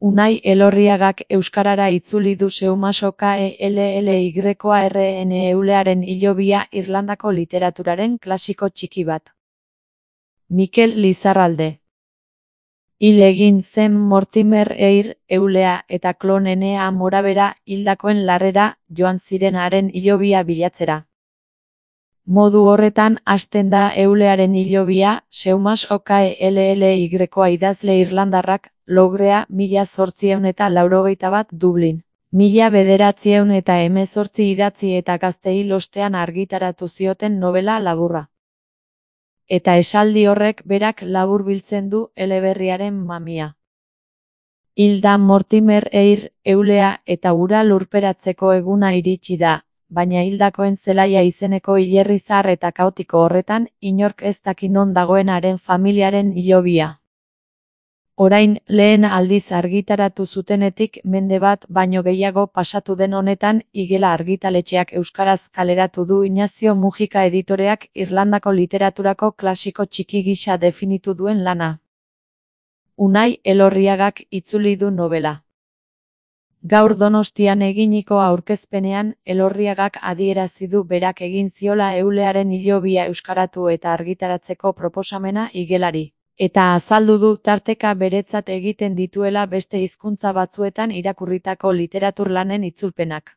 Unai Elorriagak euskarara itzuli du Seumas-OkellyRN Eulearen hilobia Irlandako literaturaren klasiko txiki bat. Mikel Lizarralde. Hil egin zen Mortimer Eyre Eulea eta Klonenea Morabera hildakoen larrera joan ziren haren hilobia bilatzera. Modu horretan hasten da Eulearen hilobia, Seumas-Okellykoa idazle irlandarrak, Logrea, 1881 Dublin. 1918 idatzi eta Gazteil ostean argitaratu zioten nobela laburra. Eta esaldi horrek berak laburbiltzen du eleberriaren mamia. Hil da Mortimer Eyre Eulea eta hura lurperatzeko eguna iritsi da, baina hildakoen zelaia izeneko hilerri zahar eta kaotiko horretan inork ez daki non dagoen haren familiaren hilobia. Orain, lehen aldiz argitaratu zutenetik mende bat baino gehiago pasatu den honetan Igela argitaletxeak euskaraz kaleratu du Ignacio Mujika editoreak Irlandako literaturako klasiko txiki gisa definitu duen lana. Unai Elorriagak itzuli du nobela. Gaur Donostian eginiko aurkezpenean, Elorriagak adierazi du berak egin ziola Eulearen hilobia euskaratu eta argitaratzeko proposamena Igelari. Eta azaldu du tarteka beretzat egiten dituela beste hizkuntza batzuetan irakurritako literaturlanen itzulpenak.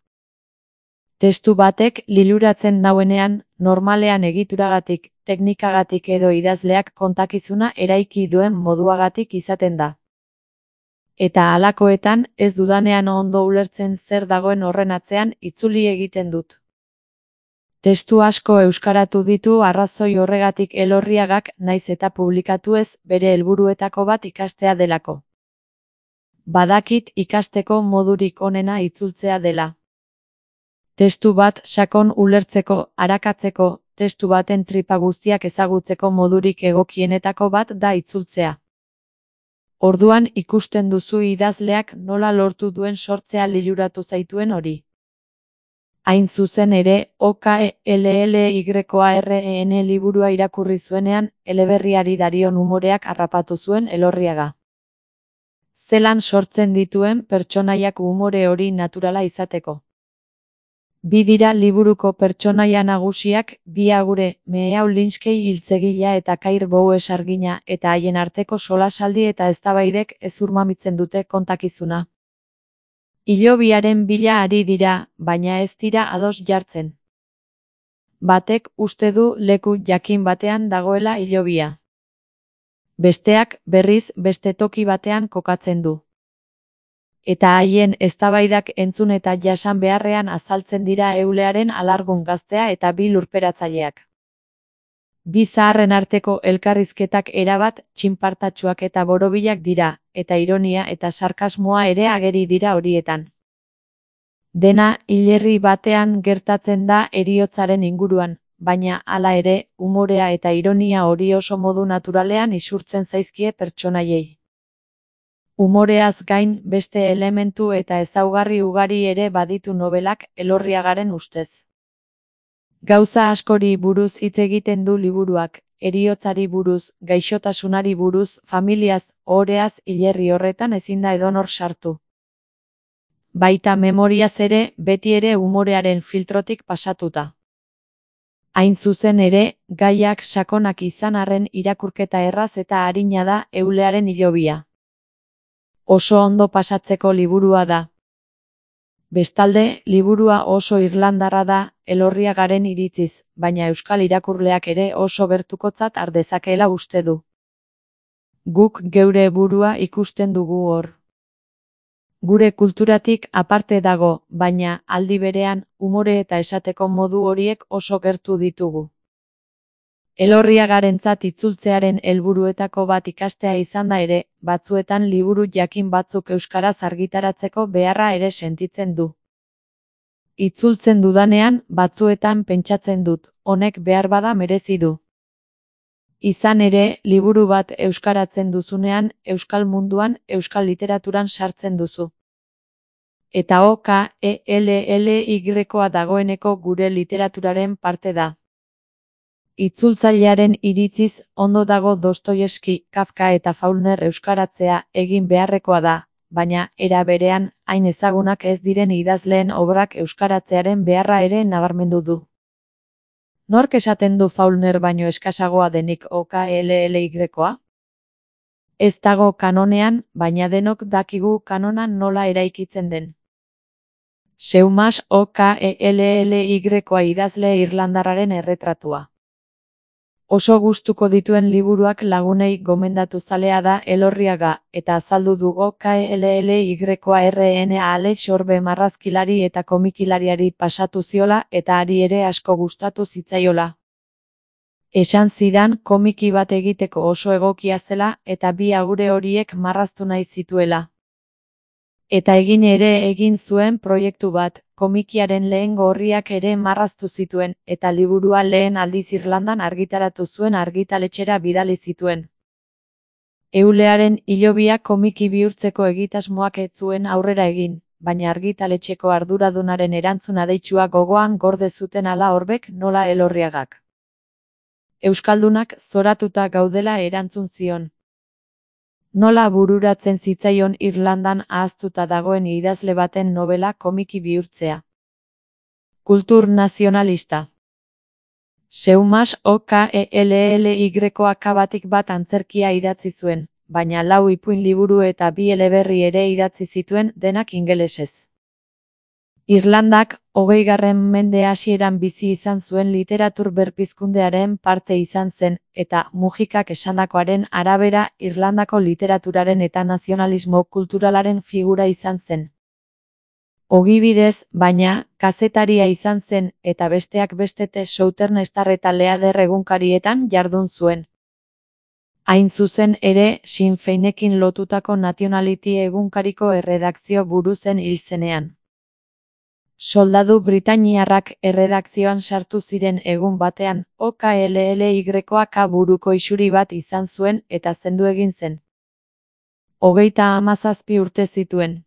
Testu batek liluratzen nauenean, normalean egituragatik, teknikagatik edo idazleak kontakizuna eraiki duen moduagatik izaten da. Eta halakoetan, ez dudanean ondo ulertzen zer dagoen horren atzean itzuli egiten dut. Testu asko euskaratu ditu arrazoi horregatik Elorriagak naiz eta publikatu ez bere helburuetako bat ikastea delako. Badakit ikasteko modurik onena itzultzea dela. Testu bat sakon ulertzeko, arakatzeko, testu baten tripa guztiak ezagutzeko modurik egokienetako bat da itzultzea. Orduan ikusten duzu idazleak nola lortu duen sortzea liluratu zaituen hori. Hain zuzen ere, OkellyRN liburua irakurri zuenean, eleberriari darion umoreak harrapatu zuen Elorriaga. Zelan sortzen dituen pertsonaiak umore hori naturala izateko. Bi dira liburuko pertsonaia nagusiak, bi agure, Meeau Linskey hiltzegilea eta Kair Bowes argina, eta haien arteko solasaldi eta eztabaidek ezurmamitzen dute kontakizuna. Hilobiaren bila ari dira, baina ez dira ados jartzen. Batek uste du leku jakin batean dagoela hilobia. Besteak, berriz, beste toki batean kokatzen du. Eta haien eztabaidak entzun eta jasan beharrean azaltzen dira Eulearen alargun gaztea eta bi lurperatzaileak. Bi zaharren arteko elkarrizketak erabat txinpartatsuak eta borobilak dira, eta ironia eta sarkasmoa ere ageri dira horietan. Dena hilerri batean gertatzen da heriotzaren inguruan, baina hala ere, umorea eta ironia hori oso modu naturalean isurtzen zaizkie pertsonaiei. Umoreaz gain beste elementu eta ezaugarri ugari ere baditu nobelak Elorriagaren ustez. Gauza askori buruz hitz egiten du liburuak, heriotzari buruz, gaixotasunari buruz, familiaz, ohoreaz hilerri horretan ezin da edonor sartu. Baita memoriaz ere, beti ere umorearen filtrotik pasatuta. Hain zuzen ere, gaiak sakonak izan arren irakurketa erraz eta arina da Eulearen hilobia. Oso ondo pasatzeko liburua da. Bestalde, liburua oso irlandarra da, Elorriagaren iritziz, baina euskal irakurleak ere oso gertukotzat har dezakeela uste du. Guk geure burua ikusten dugu hor. Gure kulturatik aparte dago, baina, aldi berean, umore eta esateko modu horiek oso gertu ditugu. Elorriagarentzat itzultzearen helburuetako bat ikastea izan da ere, batzuetan liburu jakin batzuk euskaraz argitaratzeko beharra ere sentitzen du. Itzultzen dudanean, batzuetan pentsatzen dut, honek beharbada merezi du. Izan ere, liburu bat euskaratzen duzunean, euskal munduan, euskal literaturan sartzen duzu. Eta Okellykoa dagoeneko gure literaturaren parte da. Itzultzailearen iritziz, ondo dago Dostoievski, Kafka eta Faulkner euskaratzea egin beharrekoa da, baina era berean hain ezagunak ez diren idazleen obrak euskaratzearen beharra ere nabarmendu du. Nork esaten du Faulkner baino eskasagoa denik OKLLY-koa? Ez dago kanonean, baina denok dakigu kanonan nola eraikitzen den. Seumas OKLLY-koa idazle irlandarraren erretratua. Oso gustuko dituen liburuak lagunei gomendatu zalea da Elorriaga, eta azaldu du OKLLY-koa RNA Alex Orbe marrazkilari eta komikilariari pasatu ziola eta hari ere asko gustatu zitzaiola. Esan zidan komiki bat egiteko oso egokia zela eta bi agure horiek marraztu nahi zituela. Eta egin zuen proiektu bat, komikiaren lehengo orriak ere marraztu zituen, eta liburua lehen aldiz Irlandan argitaratu zuen argitaletxera bidali zituen. Eulearen hilobia komiki bihurtzeko egitasmoak ez zuen aurrera egin, baina argitaletxeko arduradunaren erantzun adeitsua gogoan gorde zuten ala Orbek nola Elorriagak. Euskaldunak zoratuta gaudela erantzun zion. Nola bururatzen zitzaion Irlandan ahaztuta dagoen idazle baten nobela komiki bihurtzea. Kultur nazionalista. Seumas OKLLY-koak batik bat antzerkia idatzi zuen, baina 4 ipuin liburu eta 2 eleberri ere idatzi zituen, denak ingelesez. Irlandak, 20. mende hasieran bizi izan zuen literatur berpizkundearen parte izan zen, eta Mujikak esandakoaren arabera Irlandako literaturaren eta nazionalismo kulturalaren figura izan zen. Ogibidez, baina, kazetaria izan zen, eta besteak beste The Southern Star eta Leader egunkarietan jardun zuen. Hain zuzen ere, Sinn Feinekin lotutako Nationality egunkariko erredakzio buru zen hil zenean. Soldadu britainiarrak erredakzioan sartu ziren egun batean, OKLLY-koak buruko isuri bat izan zuen eta zendu egin zen. 37 urte zituen.